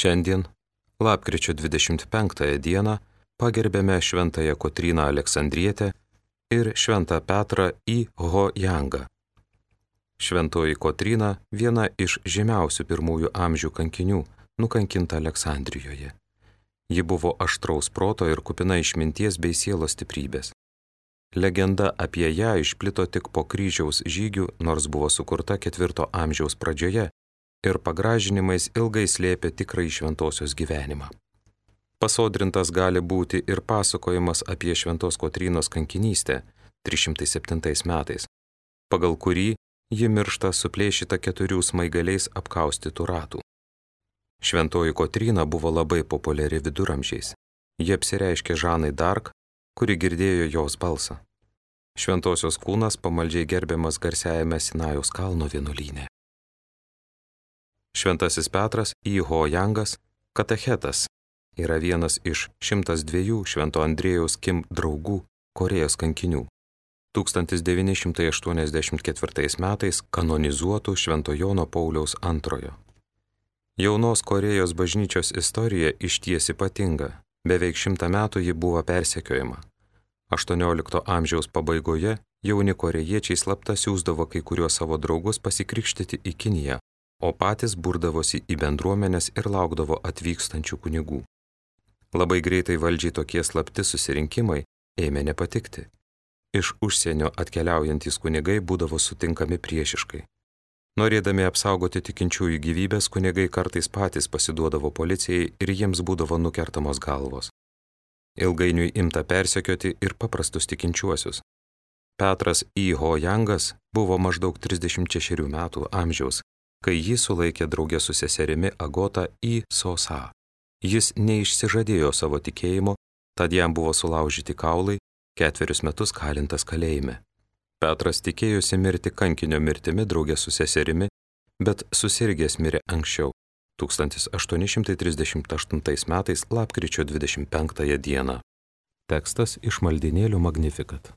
Šiandien, lapkričio 25 dieną, pagerbėme šventąją Kotryną Aleksandrietę ir šventą Petrą į Ho-Jangą. Šventoji Kotryna viena iš žymiausių pirmųjų amžių kankinių, nukankinta Aleksandrijoje. Ji buvo aštraus proto ir kupina išminties bei sielos stiprybės. Legenda apie ją išplito tik po kryžiaus žygių, nors buvo sukurta 4 amžiaus pradžioje ir pagražinimais ilgai slėpė tikrąjį šventosios gyvenimą. Pasodrintas gali būti ir pasakojimas apie šventos Kotrynos kankinystę 307 metais, pagal kurį ji miršta suplėšyta 4 smaigaliais apkaustytų ratų. Šventoji Kotryna buvo labai populiari viduramžiais. Ji apsireiškė Žanai d'Arc, kuri girdėjo jos balsą. Šventosios kūnas pamaldžiai gerbiamas garsiajame Sinajaus kalno vienuolyne. Šventasis Petras į Ho-Jangas, katechetas, yra vienas iš 102 Švento Andriejaus Kim draugų Korėjos kankinių. 1984 metais kanonizuotų Švento Jono Pauliaus II. Jaunos Korėjos bažnyčios istorija išties ypatinga. Beveik 100 metų ji buvo persekiojama. 18 amžiaus pabaigoje jauni korėjiečiai slapta siųsdavo kai kuriuos savo draugus pasikrikštyti į Kiniją, o patys burdavosi į bendruomenes ir laukdavo atvykstančių kunigų. Labai greitai valdžiai tokie slapti susirinkimai ėmė nepatikti. Iš užsienio atkeliaujantys kunigai būdavo sutinkami priešiškai. Norėdami apsaugoti tikinčiųjų gyvybės, kunigai kartais patys pasiduodavo policijai ir jiems būdavo nukertamos galvos. Ilgainiui imta persekioti ir paprastus tikinčiuosius. Petras į Ho-Jangas buvo maždaug 36 metų amžiaus, kai jį sulaikė draugė su seserimi Agota į Sosa. Jis neišsižadėjo savo tikėjimo, tad jam buvo sulaužyti kaulai, 4 metus kalintas kalėjime. Petras tikėjosi mirti kankinio mirtimi draugė su seserimi, bet susirgęs mirė anksčiau, 1838 metais lapkričio 25 dieną. Tekstas iš maldynėlių Magnificat.